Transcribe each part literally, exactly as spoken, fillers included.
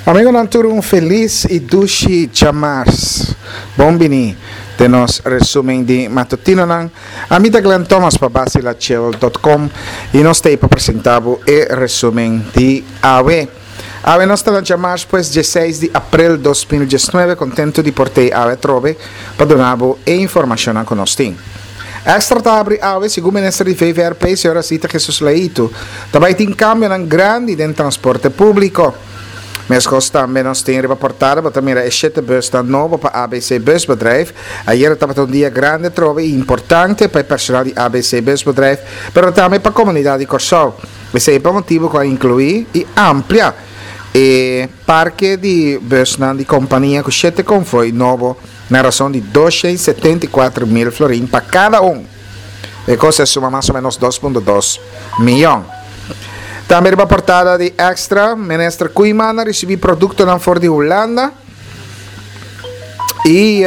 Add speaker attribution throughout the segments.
Speaker 1: Amigonan tur un felis i dushi djamars. Bon bini den nos resumen di matutinonan. Ami ta Glenn Thomas pa basilachel dot com i nos ta ei pa presenta bo e resumen di awe. Awe nos ta na djamars pues dieseis di aprel dos mil diesnuebe kontentu di por tei awe atrobe pa duna bo e informashonnan ku nos tin. Extra ta habri awe, segun minister di V V R P, señora Zita Jesus-Leito, ta bai tin kambionan grandi den transporte públiko. Meskos tambe nos tin riba portada, bo ta mira e shete busnan nobo pa A B C Busbedrijf. Ayera tabata un dia grandi atrobe i importante pa e personal di A B C Busbedrijf, pero tambe pa komunidat di Kòrsou. Esei pa motibu ku a inkluí i amplia e parke di busnan di kompania ku shete konvoi nobo na rason di dosha i setenta i kuater mil florin pa kada un. E kos a suma mas o menos dos punto dos miyon. Tambe riba portada di Extra, Minister Koeiman a risibi produktonan for di Hulanda i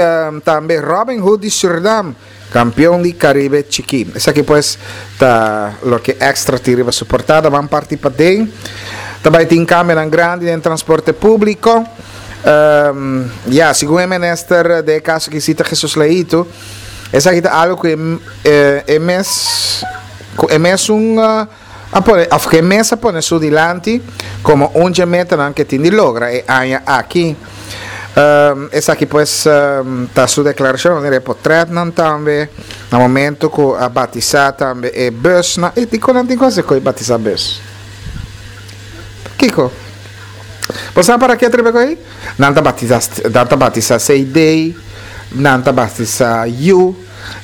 Speaker 1: tambe Robin Hood di Surinam, kampeon di Karibe Chikí. Esaki pues ta loke Extra tin riba su portada. Ban parti paden. Ta bai tin kambionan grandi den transporte públiko. Um, ya, segun e minister de kaso ki sita Jesus Leito, esaki ta algo ku e, e, e mes, ku e mes un, uh, a pone, of ku e mes a pone su dilanti komo un dje metanan ke tin di logra e aña aki. Um, esaki pues, um, ta su deklarashon, wanneer e potretnan tambe, na momento ku a batisa tambe e bus na, e dikon nan tin ku hasi ku e batisa bus? Kiko? Bo sa para ke tribe ku ei? Nan ta batisa, nan ta batisa C D, nan ta batisa U,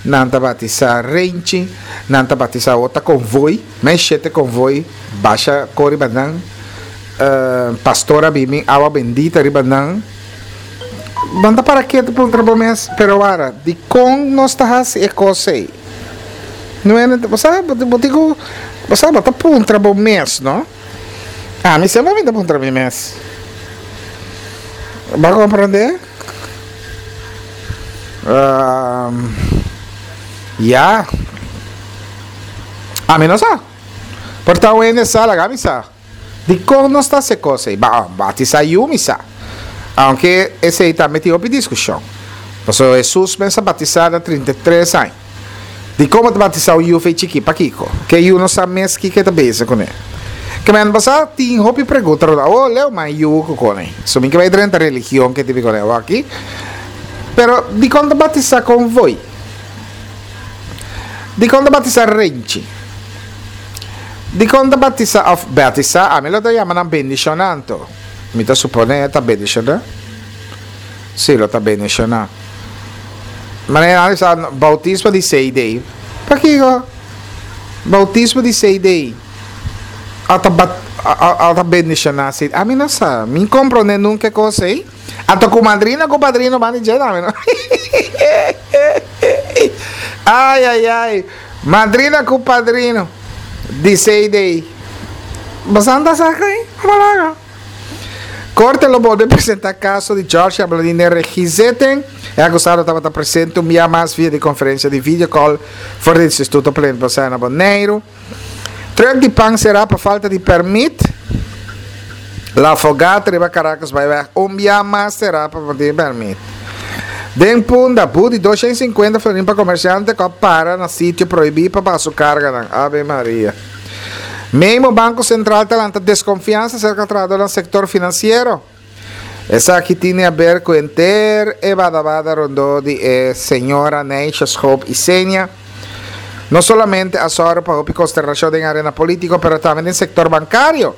Speaker 1: nan ta batisa Renchi, nan ta batisa ota konvoi, mes shete konvoi, basha kori ba nan, eh, pastora bimi awa bendita riba nan. Nan ta para ke te puntra bo mes, pero wara, di kon nos ta hasi e kos ei? No ene, bo sa, bo, bo digo, bo sa, bo ta puntra bo mes, no? A mi semper mi ta puntra mi mes. Bo a komprendé? Um, ya. A mi no sa. Por ta wende sa, laga mi sa. Dikon nos ta hasi kos ei? Ba, batisá yu mi sa. Aunke esei tambe tin hopi diskushon. Pasobra Hesus mes a batisá na trinta i tres aña. Dikon bo ta batisá un yu fei chikí? Pakiko? Ke yu no sa mes kiko e ta bezig kuné. Ke men basá tin hopi pregunta rondó. Awor leu mai yu ku kone. So mi ke bai drenta religion ke tipi kone awor aki. Pero dikon ta batisá konvoi? Dikon ta batisá renchi? Dikon ta batisá òf batisá? Ami lo ta yama nan bendishoná anto. Mi ta suponé ta bendishoná. Sí, lo ta bendishoná. Manera nan bisa boutismo di C D. Pakiko? Boutismo di C D. A ta bat, a, a ta bendishoná C D. Ami no sa. Mi komprondé nunka e kos ei. Anto ku madrina ku padrino ban di dje tambe no. Ai ai ai. Madrina ku padrino di C D. Boso ta sa kai? Palabra. Korte lo bolbe presentá kaso di George Abladin den regizetting. E akusado tabata presente un bia mas via di konferensia di videocall for di Instituto Plenipotenciario na Boneiru. Truck di pan será pa falta di permit. La Fogata riba Caracas Byweg un bia mas será pa falta di permit. Den Punda, bu di dosha i sinkuenta florin pa komersiante ku a para na sitio prohibí pa baha su karganan. Ave Maria. Memo Banko Sentral ta lanta deskonfiansa serka trahadónan sektor finansiero. Esaki tin di aber ku henter e badabada rondó di e señora Neisha Schoop Isenia. No solamente a sòru pa hopi konsternashon den arena polítiko, pero tambe den sektor bankario.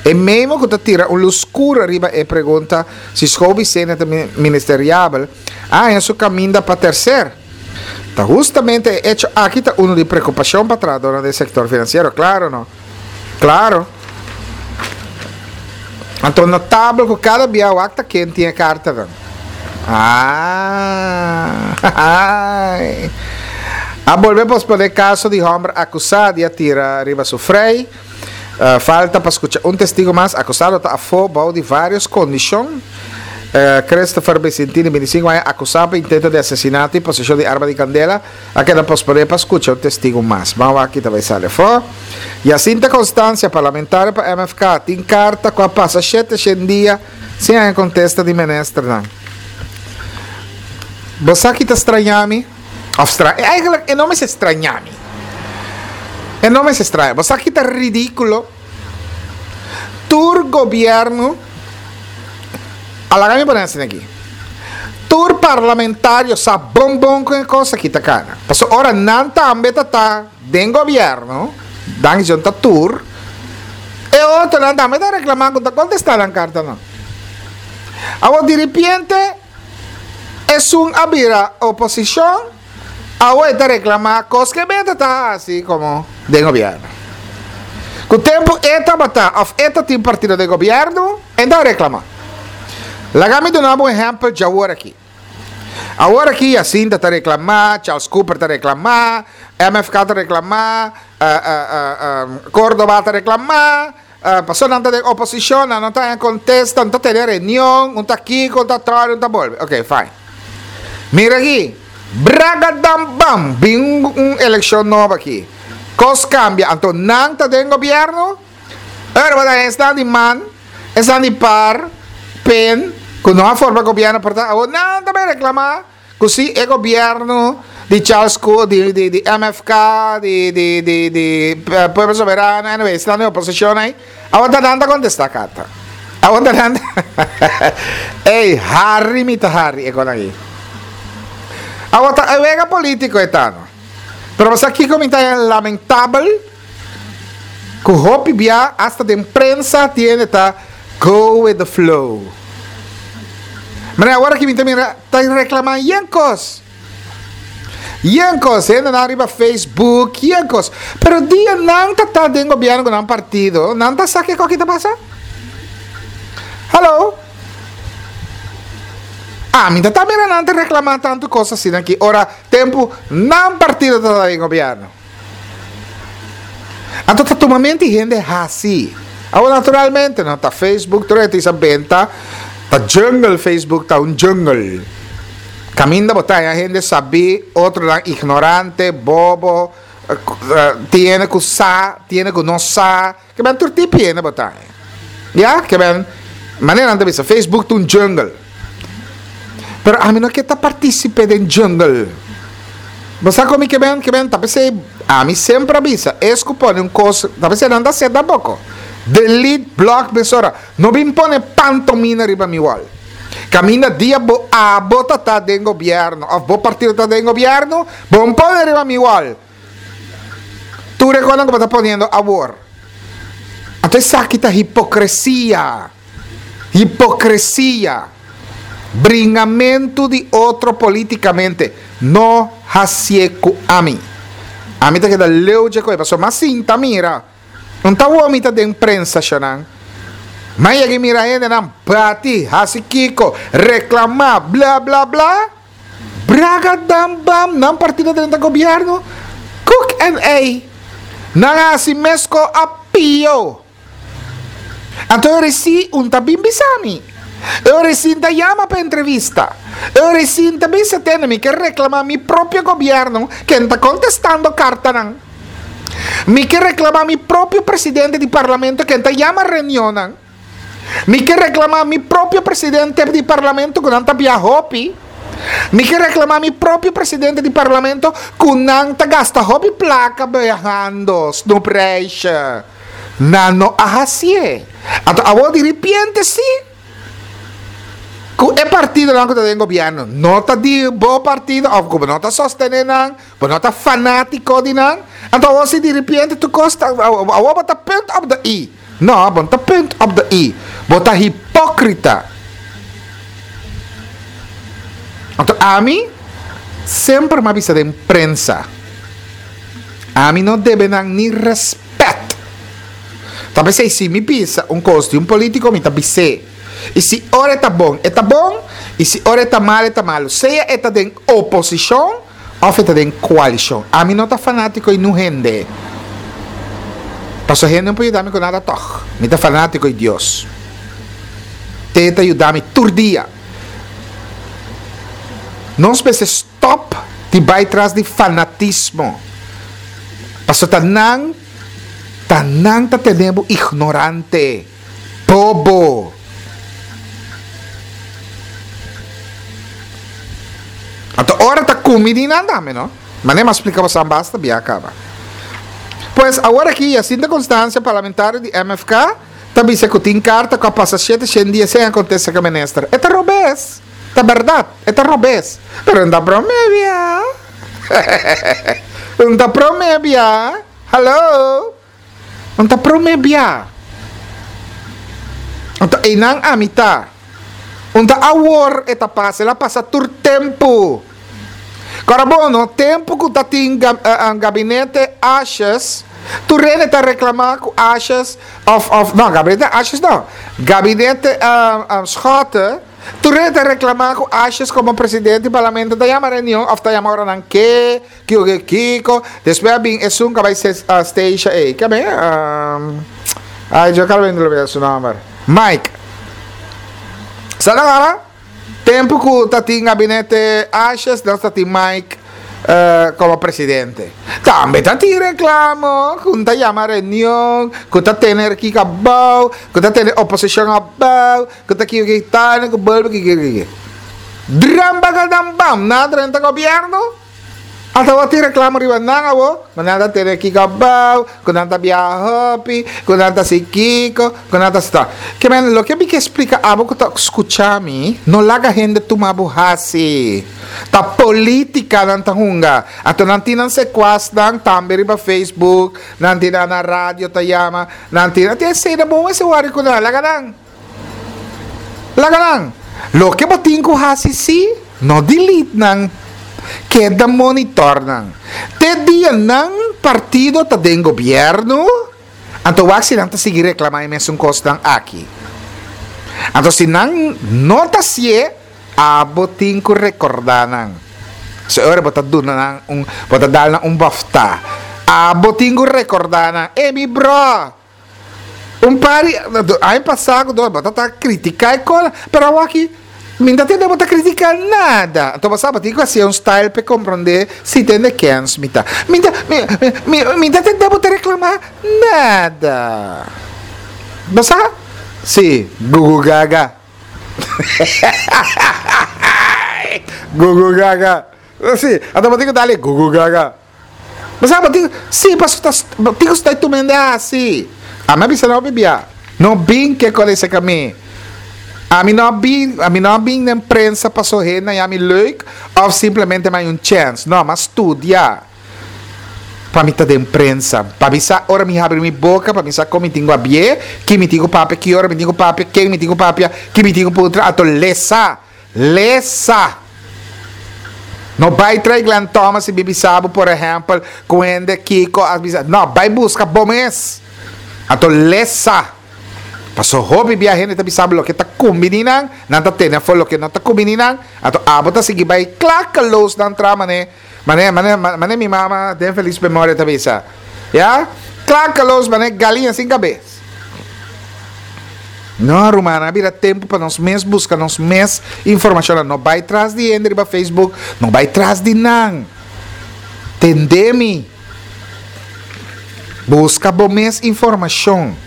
Speaker 1: E memo ku ta tira un lus skur riba e pregunta si Schoop Isenia ta ministeriabel, a haña su kaminda pa terser. Ta hustamente e echo aki ta unu di preokupashon pa trahadónan den sektor finansiero, klaro no? Klaro. Anto notabel ku kada bia wak ta ken tin e kartanan. Ah, A bolbe posponé kaso di hòmber akusá di a tira riba su frei. Uh, falta pa skucha un testigo mas. Akusado ta afó bou di vários kondishon. Uh, Christopher Vicentini, bintisinko aña, akusá pa intento di asesinato i poseshon di arma di kandela, a keda posponé pa skucha un testigo mas. Ban wak ki ta bai sali afó. Jacinta Constancia, parlamentario pa M F K, tin karta ku a pasa shete shen dia Sin e kontesta di ministernan. Bo sa ki ta straña mi? Of stra eigenlijk e no mester straña mi. E no mester straña. Bo sa ki ta ridíkulo? Tur gobièrnu, laga mi pone asina aki. Tur parlamentario sa bon bon ku e kos aki ta kana. Paso ora nan tambe ta ta den gobièrnu, dan ta tur, e otronan tambe ta reklamá ku ta kontestá nan kartanan. Awor di repente esun a bira oposishon, awor ta reklamá kos ku e ta asina komo den gobièrnu. Ku tempu e tabata òf e tin partido di gobièrnu, e ta reklamá. Laga mi duna un ehèmpel di awor aki. Awor aki Jacinta ta reklamá, Charles Cooper ta reklamá, M F K ta reklamá, uh, uh, uh, um, Córdoba ta reklamá, uh, personanan di oposishon, no ta kontestá, no ta tene reunion, un ta aki, un ta tras, un ta bolbe. Ok, fine. Mira aki, bragadam bam, bin un elekshon nobo aki. Kos kambia, anto nan ta den gobièrnu, awor esnan di man, esnan di par, pen, ku no a forma gobièrnu, por tantu, nan tambe reklamá, ku si e gobièrnu di Charles Cooper, di, di, di M F K, di, di, di, di uh, Pueblo Soberano, anyway, esnan den oposishon ei, awor nan ta kontestá karta. Awor nan Ei, hari mi ta hari, e kos aki. Awor ta e wega polítiko e ta, no? Pero bo sa kiko mi ta lamentabel? Ku hopi bia hasta den prensa tin ta go with the flow. Ma awor ku mi mira ta reklamá yen kos. Yen kos, hende na riba Facebook, yen kos. Pero dia nan ta ta den gobièrnu ku nan partido, nan ta sa kiko ta pasa? Hello? Ah, mi ta mira nan ta reklamá tantu kos asina aki. Ora, tempu nan partido ta den gobièrnu. Anto ta tumamente hende hasi. Awor naturalmente, no ta Facebook, tur esei benta, ta jungle Facebook, ta un jungle. Kaminda bo ta hende sabi, otronan ignorante, bobo, tin ku sa, tin ku no sa, ke men tur tipo hende bo ta. Ja, ke men manera nan bisa Facebook ta un jungle. Pero ami no ke ta partísipe den jungle. Bo sa kon ke men, ke men, ta p'esei, ami semper a bisa, es ku pone un kos, ta p'esei nan ta seta poko. Delete, block, mesora. No bin pone pantomina riba mi wall. Kaminda dia bo abo ta ta den gobièrnu, òf bo partido ta den gobièrnu, bo n' pone riba mi wall. Tur e kosnan ku bo ta poniendo awor. Anto esaki ta hipokresia. Hipokresia. Bringamentu di otro polítikamente. No hasié ku ami. Ami ta keda leu di e kos. Paso m'a sinta mira. No ta mi ta den prensa shonan. Ma yega mira hendenan bati, hasi kiko, reklamá, bla bla bla. Braga dam bam, nan partido den gobièrnu. Koek en ei. Nan hasi meskos òf pió. Anto resi un ta bin bisa mi. E resi ta yama pa entrevista. E resi ta bisa tene mi ke reklamá mi propio gobièrnu ku ta kontestando kartanan. Mi ke reklamá mi propio presidente di parlamento ku ta yama reunionnan. Mi ke reklamá mi propio presidente di parlamento ku nan ta biaha hopi. Mi ke reklamá mi propio presidente di parlamento ku nan ta gasta hopi plaka biahando, snoepreisje. Nan no a hasié. Anto awor di repente si. Ku e partidonan ku ta den gobièrnu, no ta di bo partido, òf ku no ta sostené nan, bo no ta fanátiko di nan. Anto awor si di repente tur kos ta, awor bo ta punt op de i. No, bo ta punt op de i. Bo ta hipókrita. Anto ami semper m'a bisa den prensa. Ami no debe nan ni rèspèt. Talbes si mi bisa un kos di un polítiko, mi ta bis'é. I si ora ta bon, ta bon, i si ora ta malu, ta malu. Sea e ta den oposishon òf e ta den koalishon. Ami no ta fanátiko di ningun hende. Paso hende no por yuda mi ku nada toch. Mi ta fanátiko di Dios. E ta yuda mi tur dia. Nos mester stòp di bai tras di fanatismo. Paso ta nan, ta nan ta tene bo ignorante, bobo. Anto ora ta kumbiní nan tambe, no? Manera m'a splika boso basta bia kaba. Pues awor aki, Jacinta Constancia, parlamentario di M F K, ta bisa ku tin karta ku a pasa shete dia sin kontestá ku minister. E ta robes. Ta berdat, e ta robes. Pero no ta promé bia. No ta promé bia. Hallo. No ta promé bia. Anto, einan ami ta. No ta awor e ta pasa, el a pasa tur tempu. Agora, bon, no tempu ku tatin uh, gabinete Asjes, tur hende ta reklamá ku Asjes, of, of, no, gabinete Asjes no, gabinete uh, um, Schotte, tur hende ta reklamá ku Asjes komo presidente di parlamento ta yama reunion, of ta yama ora nan ke, kiko kiko, despues bin esun ku bai uh, station, ei, ku ben, um, ai, mi a kaba di lubidá su nòmber. Mike. Sabe awor? Tempu ku tatin gabinete Asjes, nos tatin Mike uh, komo presidente. Tambe tatin reklamo, ku ta yama reunion, ku ta tene kiko abou, ku ta tene oposishon abou, ku ta kiko kiko tal, ku bolbe kiko kiko. Dramba gadam bam, nan a drenta gobièrnu. Ata awor tin reklamo riba nan awo, ma nan ta tene kiko abou, ku nan ta bia hopi, ku nan ta si kiko, ku nan ta sta. Ke men, loke mi ke splika abo ku ta skucha mi, no laga hende tuma bo hasi. Ta polítika nan ta hunga. Anto nan tin nan sekuas nan tambe riba Facebook, nan tin na radio ta yama, nan tin, tin sei na bon ese wari ku nan, laga nan. Laga nan. Loke bo tin ku hasi si, no delete nan, keda monitor nan. Te dia nan partido ta den gobièrnu, anto wak si nan ta sigui reklamá e mesun kosnan aki. Anto si nan no ta hasié, abo tin ku rekordá nan. Se ora bo ta duna nan un, bo ta dal nan un bòftá. Abo tin ku rekordá nan. E mi bro. Un par di aña pasá, bo ta kritiká e kola, pero aki mi n' ta tende bo ta kritiká nada. Anto bo sabi ku asina un style pa komprondé si tende kens mi ta. Mi ta mi mi mi ta tende bo ta reklamá nada. Bo sa? Si, Gugu Gaga. Gugu Gaga. Si, anto bo tin ku dal Gugu Gaga. Bo sabi, tin, si, paso ta tin ku sta tumende asina. Ami a bisa no bibia. No bin ke kon ese kami. Ami no bin, ami no bin den prensa paso hende yami leuk of simplemente m'a haña un chance. No, m'a studia. Pa mi ta den prensa. Pa mi sa ora mi habri mi boka, pa mi sa kon mi tin ku habrié, ki mi tin ku papia, ki ora mi tin ku papia, ken mi tin ku papia, ki mi tin ku puntra, anto lesa. Lesa. No bai tras Glenn Thomas i Bibi Sabo, por ehèmpel, ku hende kiko, avisa. No, bai buska bo mes. Anto lesa. Paso hopi bia hende ta bisa loke ta kumbiní nan, nan ta tene afó loke no ta kumbiní nan, anto abo ta sigui bai klakkeloos nan tra mane, mane, mane, mane mi mama den felis memoria ta bisa. Ja? Klakkeloos mane galiña sin kabes. No, ruman, a bira tempu pa nos mes buska nos mes informashon. No bai tras di hende riba Facebook, no bai tras di nan. Tende mi. Buska bo mes informashon.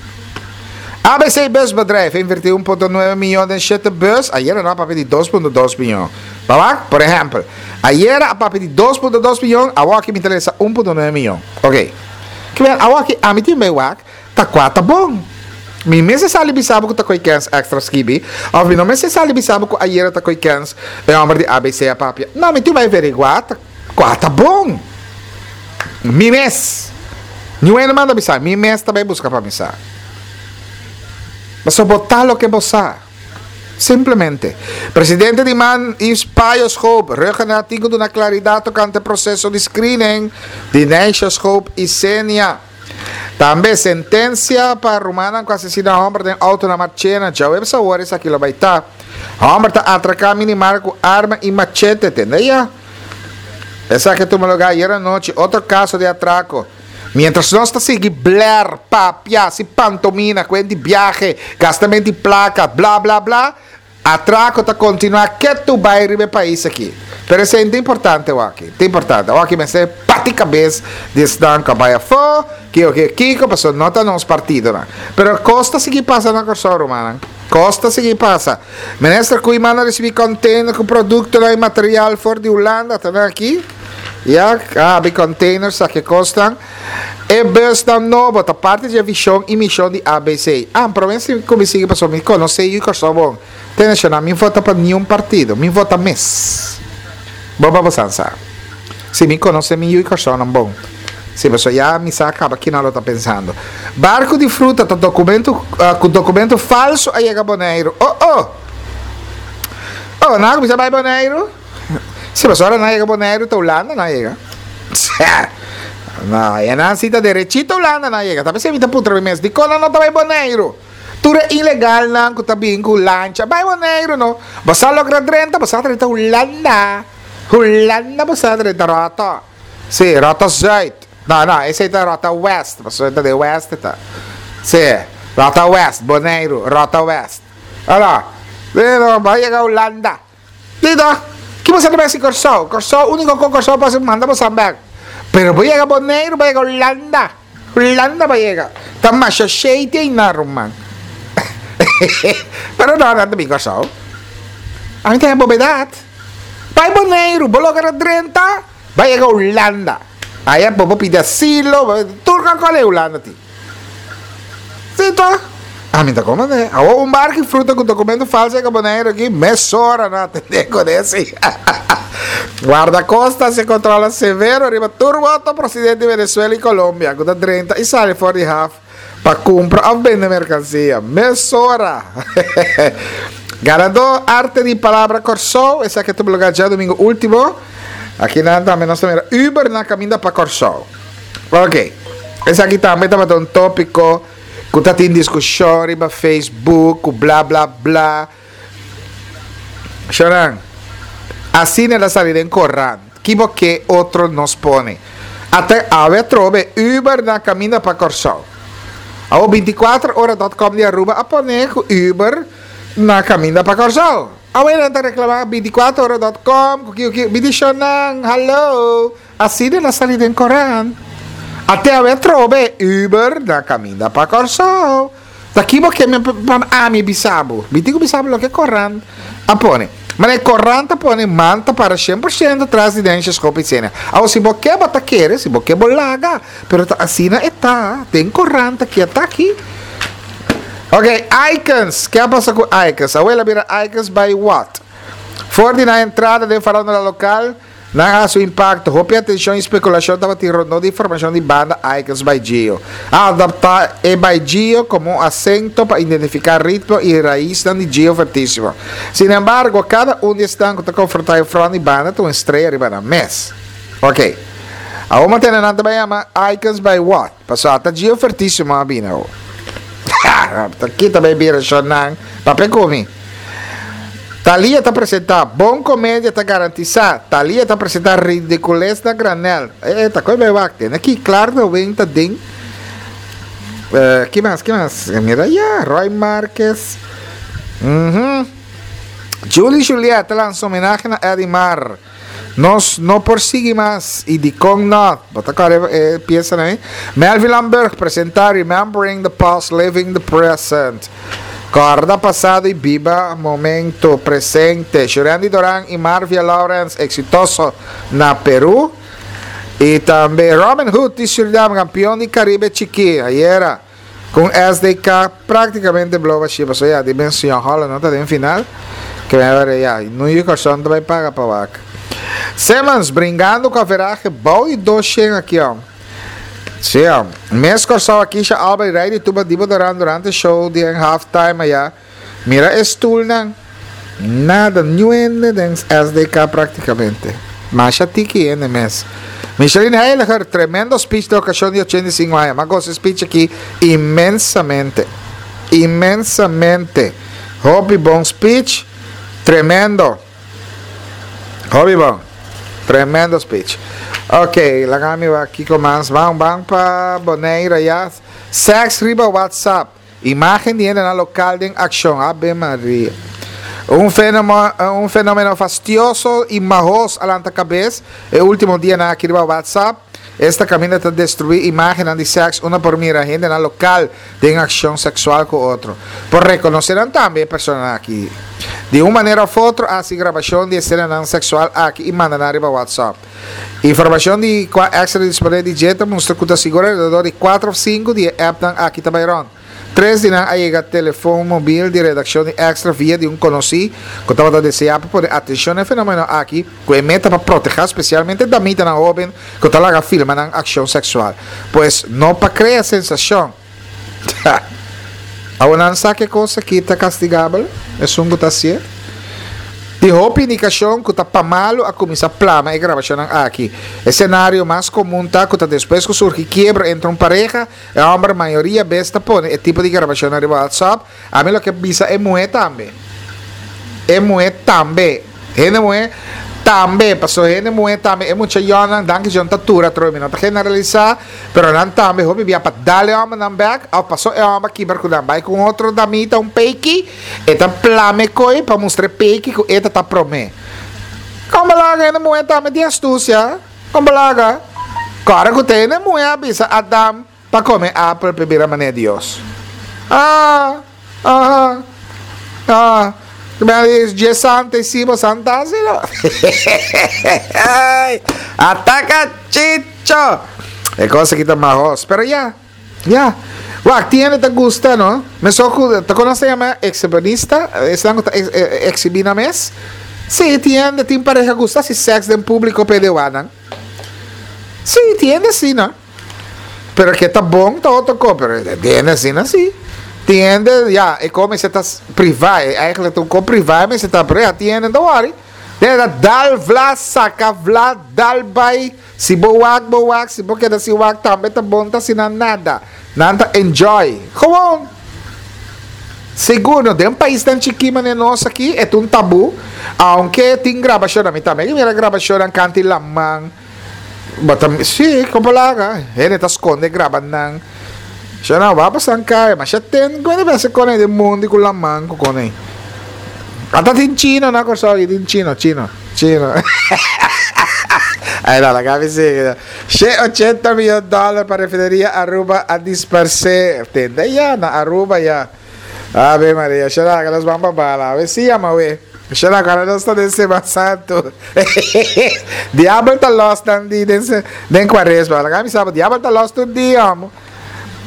Speaker 1: A B C Busbedrijf invertí un punto nuebe mion den shete bus. Ayera nan a papia di dos punto dos mion. Baba? Por ehèmpel, ayera a papia di dos punto dos mion, awor aki mi ta lesa un punto nuebe mion. Ok. Ke men, awor aki ami tin bai wak, ta kua ta bon. Mi mester sali bisa bo ku ta koi kens Extra skibi, of mi no mester sali bisa bo ku ayera ta koi kens e hòmber di A B C a papia. No, mi tin bai averiguá ta kua ta bon. Mi mes. Niun hende manda bisa, mi mes ta bai buska pa mi sa. Paso bo ta loke bo sa. Simplemente. Presidente di MAN, Yves Payo Schoop, Rhuggenaath tin ku duna klaridat tokante proseso di screening di Neisha Schoop i Senia. Tambe sentensia pa rumannan ku asesiná hòmber den outo na Marchena. Djaweps awor esaki lo bai ta. Hòmber ta atraká minimart ku arma i machete, tende ya? Esaki a tuma lugá ayera nochi. Otro kaso di atrako. Mientras nos ta sigui bler, papia, si pantomina, kuenta biahe, gastamentu di plaka, bla bla bla, atrako ta kontinuá ketu bai riba e pais aki. Pero esei ta importante aki. Ta importante. Aki mester bati kabes di esnan ku bai afó, kiko kiko kiko, paso no ta nos partido no. Pero kos ta sigui pasa na Kòrsou, ruman. Kos ta sigui pasa. Minister Koeiman a risibí container ku produkto i material for di Hulanda, ta aki? Ja, ah, containers, aki kosnan. E bus nan nobo, ta parti di vishon i mishon di A B C. Ah, pero si kuminsá paso mi konosé e Kòrsou bon. Atenshon, mi vota pa ningun partido, mi vota mes. Boba bosansa. Si mi konosé mi yu Kòrsou nan bon. Si, paso ya mi sa kaba kiko nan ta pensando. Barku di fruta ta dokumento uh, ku dokumento falsu a yega Boneiru. Oh, oh. Oh, nan kuminsá bai Boneiru. Si, paso ora nan yega Boneiru, ta Hulanda nan yega. No, ya nan sita derechito Hulanda nan yega. Tabe se mi ta putra mi mes. Di kon nan no ta bai Boneiru? Tur ilegal nan ku ta bin ku lancha. Bai Boneiru no. Bo logra drenta, bo drenta Hulanda. Hulanda bo drenta rota. Si, rota zuid. No, no, esei ta rota west. Bo ta di west ta. Si, rota west, Boneiru, rota west. Ora, pero bai yega Hulanda. Dito, ki bo ta bai Kòrsou? Kòrsou, úniko ku Kòrsou pa manda bo bèk. Pero bai yega Boneiru, bai yega Hulanda. Hulanda bai yega. Ta masha shete na ruman. Pero no, no, ta Kòrsou. Ami tin bobedat. Bai Boneiru, bo logra drenta, bai yega Hulanda. Ei bo pidi asilo, tur kua e Hulanda ti. Si, ta. Ami ta komo, ne? Awo un barku fruta ku dokumento falsu ku Boneiru aki, mesora nan atendé ku esei. Wardakosta hasi kontrol severo riba tur boto prosedente di Venezuela i Colombia, ku ta drenta i sali for di haf pa kumpra òf bende merkansia. Mesora. Ganadó Arte di Palabra Kòrsou, esaki a tuma lugá djadumingu último. Aki nan tambe nos tambe Uber na kaminda pa Kòrsou. Ok. Esaki tambe tabata un tópiko ku ta tin diskushon riba Facebook, bla bla bla. Shonan. Asina el a sali den korant. Ki bo ke otro nos pone? Ata awe atrobe Uber na kaminda pa Kòrsou. Awo bintikuater ora punto com di Aruba a pone ku Uber na kaminda pa Kòrsou. Awe nan ta reklamá bintikuater ora punto com ku ku bidishonan, hello. Asina el a sali den korant. Ata awe atrobe Uber na kaminda pa Kòrsou. Ta ki bo ke mi pa ami bisa bo. Mi tin ku bisa bo loke korant a pone. Ma e korant a pone manta para shen porshento tras di Dennis Schoop sena. Awo si bo ke bo ta kere, si bo ke bo laga, pero ta asina e ta, den korant aki ta aki. Ok, Icons. Kiko a pasa ku Icons? Awor el a bira Icons by what? For di nan entrada den farándula lokal, nan a su impakto, hopi atenshon i spekulashon tabatin rondó di informashon di banda Icons by Gio. A adaptá e by Gio komo un asento pa identifiká ritmo i rais di Gio Fuertisimo. Sin embargo, kada un di esnan ku ta konfrontá e front di banda ta un strea riba nan mes. Ok. Awor mantene nan tambe yama Icons by what? Paso ta Gio Fuertisimo a bina. Aki tambe bira nan papia ku mi. Thalia ta presentá bon komedia ta garantisá. Thalia ta presentá ridikules na granèl. Eh, ta koi bai wakte. Aki klaro wen ta den. Uh, ki mas, ki mas? Mira ya, Roy Marquez. Uhum. Julie Juliet lansa homenahe na Edimar. Nos no por sigui mas i dikon no. Bota kara eh, piensa nè? Melvin Lamberg presentá Remembering the Past, Living the Present. Kòrda pasado i biba momento presente. Shurandy Doran i Marvia Lawrence eksitoso na Peru. I tambe Robin Hood di Suriname, kampeon di Karibe Chikí. Ayera ku S D K práktikamente blow a shipa. So ya, di ben Señor Holland no ta den final. Ku mi ya, no yu Kòrsou tambe paga pa wak. Simmons bringando ku average bou di dos aki, ó. Si, ó. Mes Kòrsou aki ya Albert Rey di tuba dibo durante durante show di halftime ya. Mira e stoelnan. Nada, niun den S D K práktikamente. Masha tiki hende mes. Micheline Heiliger, tremendo speech di okashon di ochenta i sinku aña. Mi a gosa speech aki inmensamente. Inmensamente. Hopi bon speech. Tremendo. Hopi bon. Tremendo speech. Ok, laga mi aki ku mas. Ban, ban pa Bonaire ya. Sex riba WhatsApp. Imágen di na lokal den akshon. Ave Maria. Un fenomeno, un fenomeno fastioso y mahos a lanta cabes e ultimo dianan aki riba WhatsApp. Esta caminda ta destrui imagennan di sex unda por mira hendenan local den accion sexual cu otro. Por reconoce nan tambe e personanan aki. Di un manera of otro a haci grabacion di escenanan sexual aki y manda nan riba WhatsApp. Informacion di cua Extra ta dispone di dje ta mustra cu ta sigur alrededor di cuatro of cinco di e appnan aki ta bay rond. Tres di nan a yega telefon mobil di redaccion di Extra via di un conoci cu tabata desea pa pone atencion na e fenomeno aki cu e meta pa proteha specialmente damitanan hoben cu ta laga filma nan accion sexual. Pues no pa crea sensacion. Awor nan sa cu e cos aki ta castigabel, esun cu ta hacié. Tin hopi indikashon ku ta pa malu a kuminsá plama e grabashonnan aki. E senario mas komun ta ku ta despues ku surgi kiebro entre un pareha, e hòmber mayoria bes ta pone e tipo di grabashonnan riba WhatsApp. Ami lo ke bisa e muhé tambe. E muhé tambe. Hende muhé tambe, pasobra hende muhé tambe, e mucha yònnan, danki Dios ta tur atrobe, mi no ta generalisá, pero nan tambe hopi bia pa dal e hòmbernan bèk òf pasobra e hòmber kibra ku nan bai ku un otro damita, un peiki. E ta plama e koi pa mustra e peki ku e ta ta promé. Kon balaga hende muhé tambe tin astusia? Kon balaga? Kòrda ku ta hende muhé a bisa Adam pa kome apel pa e bira manera Dios. Ah! Aha! Ah! Dje santa e si bo santa asi lo. Ataka Chicho! E kos aki ta mahos. Pero ya. Ya. Wak, tin hende ta gusta, no? Mesun ku, ta kon nos ta yama exhibicionista? Esnan ku ta exhibi nan mes? Sí, tin hende, tin pareha gusta hasi sèks den públiko pa e dewanan. Sí, tin hende asina. Pero ke ta bon ta otro kos, pero tin hende asina sí. Tin hende, ya, e kos mester ta privá, eigenlijk ta un kos privá mester ta, pero ya, tin hende no ta wòri. Den ta dal vla saka vla dal bai si bo wak bo wak si bo keda sin wak tambe ta bon ta asina nada nan ta enjoy gewoon sigur no den paisnan chiki manera nos aki e ta un tabu aunke tin grabashonnan mi tambe a mira grabashonnan kanti laman bo ta si kon por laga hende ta skonde graba nan shona wak pasan kai masha ten ku hende mester kone den mondi ku laman ku kone. Ata tin chino na Kòrsou aki, tin chino, chino, chino. Ay no, laga mi sigui. She ochenta miyon dòler pa refineria Aruba a disparsé. Tende ya, na Aruba ya. Ave Maria, she laga nos ban pa bala. Awe si yama awe. She laga ora nos ta den Semana Santu. Diabel ta lòs nan di den den Kuaresma. Laga mi sa bo, diabel ta lòs tur dia, homo.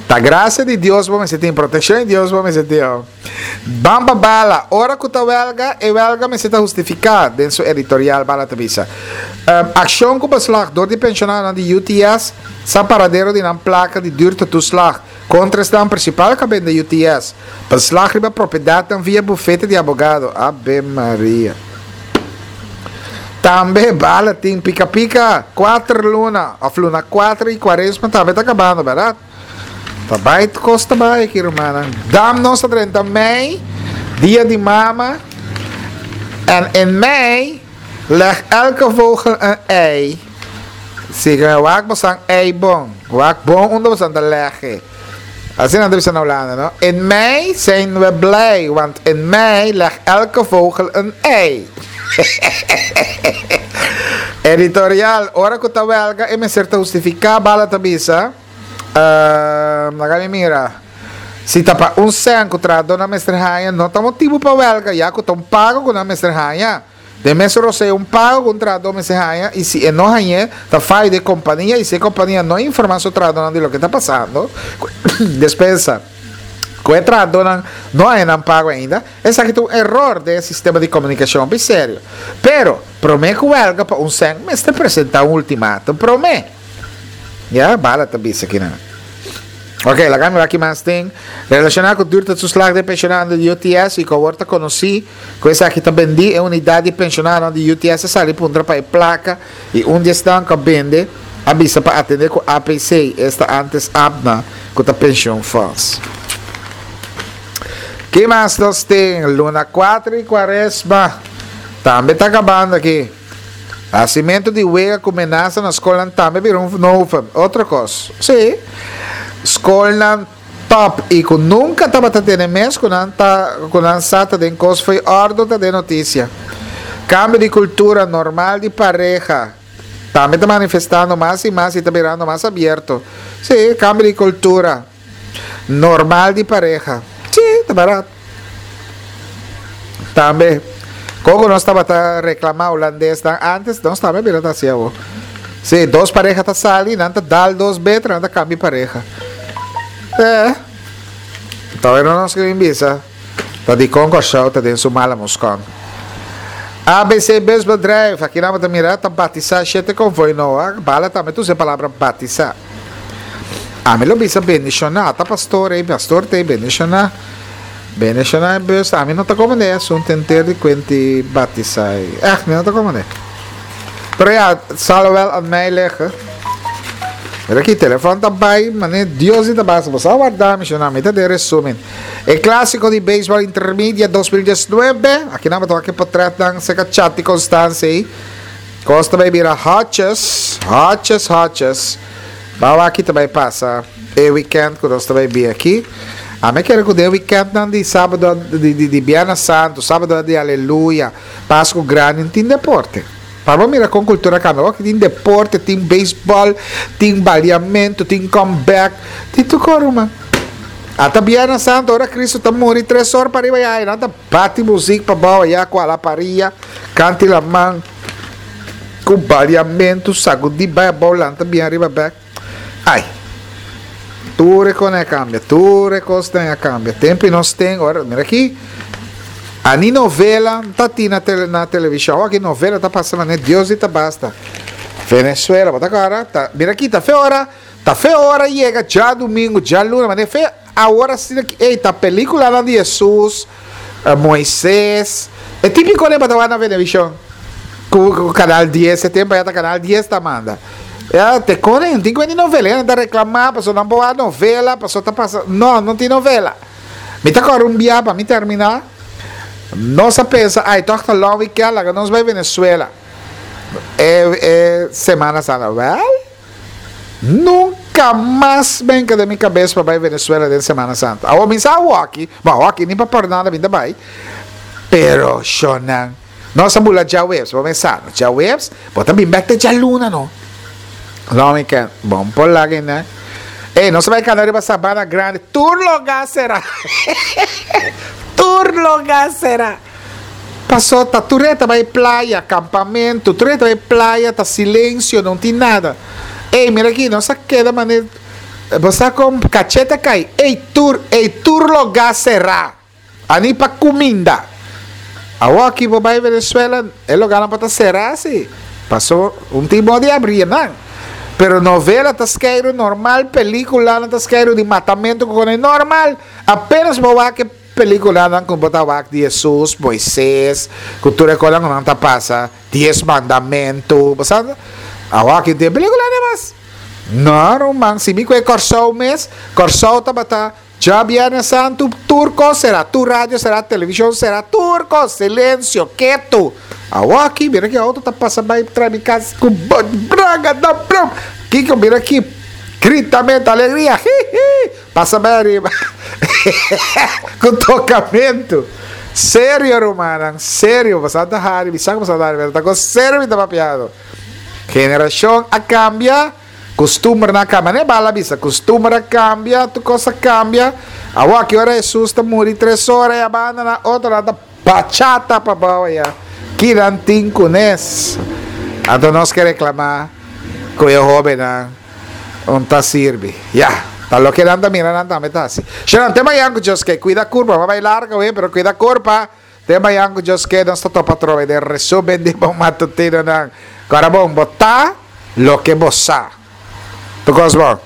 Speaker 1: Ta gracia di Dios bo mester tin, proteccion di Dios bo mester tin. Oh. Ban pa bala, ora cu ta welga, e welga mester ta hustifica, den su editorial Bala ta bisa. Um, accion cu beslag door di pensionadonan di U T S sa paradero di nan placa di duurtetoeslag contra esnan principal ca bende U T S. Beslag riba propiedadnan via bufete di abogado. Ave Maria. Tambe Bala tin pica pica cuater luna of luna cuater y cuaresma tambe ta acabando, verdad? Ta bai cos ta bai aki rumannan. Dam nos ta drenta mei, dia di mama. En in mei leg elke vogel een ei. Siga wak bosan ei bon. Wak bon unda bosan ta lege. Asina nan ta bisa na Hulanda, no? In mei zijn we blij, want in mei leg elke vogel een ei. Editorial, ora ku ta welga e mester ta hustifiká, Bala ta bisa. Ehm, laga mi mira. Si ta pa un sèn ku trahadónan mester haña, no ta motibu pa wèlga, ya ku ta un pago ku nan mester haña. Den mes rosea un pago ku un trahadó mester haña i si e no hañ'é, ta fayo di e kompania i si e kompania no informá su trahadónan di loke ta pasando ku e despensa ku e trahadónan no haña nan pago ainda, esaki ta un eror den e sistema di komunikashon hopi serio. Pero, promé ku wèlga pa un sèn mester presentá un ultimatum promé. Ya, bala ta bisa kinan. Ok, laga mi wak ki mas tin. Relacioná cu duurtijdtoeslag den pensionadonan di U T S y cu awor ta conocí cu esaki ta bendí, e unidad di pensionadonan di U T S a sali puntra pa e placa y un di esnan cu a bende a bisa pa atende cu A P C, esta antes A P N A, cu ta pensioenfonds. Ki mas nos tin? Luna cuatro y cuaresma tambe ta acabando aki. Hasimentu di wega ku menasa na skolnan tambe bira un novum. Otro kos. Sí. Skolnan Top i ku nunka tabata tene mes ku nan ta ku nan sa ta den kos fo'i òrdu ta den notisia. Kambio di kultura normal di pareha tambe ta manifestando mas i mas i ta birando mas abierto. Sí, kambio di kultura normal di pareha. Sí, ta barat. Tambe, kon ku nos tabata reklamá hulandesnan ántes, nos tambe a bira ta hasi awor. Sí, dos pareha ta sali, nan ta dal dos beter, nan ta kambia pareha. Eh, tawai no nos ke bin bisa ta dikon Kòrsou ta den su mala muskon. A B C Busbedrijf, aki nan bo ta mira ta batisá shete konvoi noa, bala tambe ta usa e palabra batisá. Ami lo bisa bendishoná, ta pastor ei, pastor ta ei bendishoná. Bendishoná e bus, ami no ta komand'é e asuntu henter di kuenti batisá ei. Ègt, mi no ta komand'é. Pero ya, zal wel aan mij liggen. Mira aki, telefòn ta bai, manera Dios di ta basa. Bo sa warda mi, shona, mi ta den resumen. E Clásico di Beisbòl Intermedia dos mil diesnuebe, aki nan bo ta wak e potrètnan serka Chati Constance ei. Kos ta bai bira hòtjes, hòtjes, hòtjes. Ba wak ki ta bai pasa e wikènt ku nos ta bai bin aki. Ami a kere ku den wikèntnan di sábado, di, di, di Biernes Santu, sábado di Aleluya, Pasku Grandi, no tin deporte. Pa bo mira kon kultura kambia. Awor tin deporte, tin beisbòl, tin baliamentu, tin comeback, tin tur kos ruman. Ata Biernes Santo ora Cristo ta muri tres or pa riba ya nan ta bati muzik pa bou aya ku alaparia, kanti laman, ku baliamentu, sagudi bai abou lanta bien ariba bek. Ai! Tur e kos a kambia, tur e kosnan a kambia. Tempu nos ten ora, mira aki. Ani novela ta tin na tele na televishon. Awor aki novela ta pasa manera Dios di ta basta. Venezuela, bo ta kòrda? Ta mira aki ta fe ora, ta fe ora yega djadumingu, djaluna, manera fe awor asina ki ey ta peliculanan di Jesus, Moises, e típico ne bo ta wak na Venevishon ku ku canal dies, e tempo aya ta canal dies ta manda. Ya te kore, tin ku bini novela, nan ta reklamá pasobra nan por wak novela, pasobra ta pasa, no, no tin novela. Mi ta kòrda un bia pa mi terminá, nos a pensa, ay tòg ta long weekend, laga nos bai Venezuela e e semana santa. Wèl, nunka mas benka den mi kabes pa bai Venezuela den semana santa. Awor mi sa awoki, bon awoki ni pa pòrnada mi ta bai, pero shonnan, nos a bula djaweps, bo mesa, djaweps, bo ta bin bèk te djaluna no. Long weekend, bon por laga einan. Ey, nos a bai cana riba Sabana Grande, tur loga sera. Tur loga sera. Paso ta tur e ta bai playa, campamento, tur e ta bai playa, ta silencio, no tin nada. Ey, mira aki, nos a keda mane, bo sa con cachete a cay. Ey, tur, ey, tur loga sera. Ani pa kuminda. Awoki bo bai Venezuela e loganan por ta será si. Paso un tin bon di abri nan. Pero novela ta skeiru normal, peliculanan ta skeiru di matamento ku kone normal. Apenas bo wak e peliculanan ku bo ta wak di Jesus, Moises, ku tur e konan ku nan ta pasa, Dies Mandamentu, bo sa? Awoki tin pelicula demas. No ruman, si mi ku e Kòrsou mes, Kòrsou tabata Djabièrnè Santu tur kos será, tur radio será, televishon será, tur kos, silensio, ketu. Awor aki, mira ki outo ta pasa bai trae mi kas ku braga da brum. Kiko mira aki, gritamento, alegria, hihi, pasa bai ariba ku tokamentu. Serio rumannan, serio, boso ta hari, mi sa ku boso ta hari, pero ta kos serio mi ta papiando. Generashon a kambia. Kustumbernan a kambia. Ne bala bisa, kustumber a kambia, tur kos a kambia. Awor aki ora Hesus ta muri tres ora e a banda na otro nan ta bachata pa bou aya. Ki nan tin kunes? Anto nos ke reklamá ku e hóbennan un ta sirbi. Ya, ta loke nan ta mira nan tambe ta hasi. Shonnan, te mañan ku Dios ke. Kuida kurpa. Bo a bai larga awe, pero kuida kurpa. Te mañan ku Dios ke nos ta topa atrobe den resumen di bo matutinonan. Kòrda bon, bo ta loke bo sa. Tur kos bon.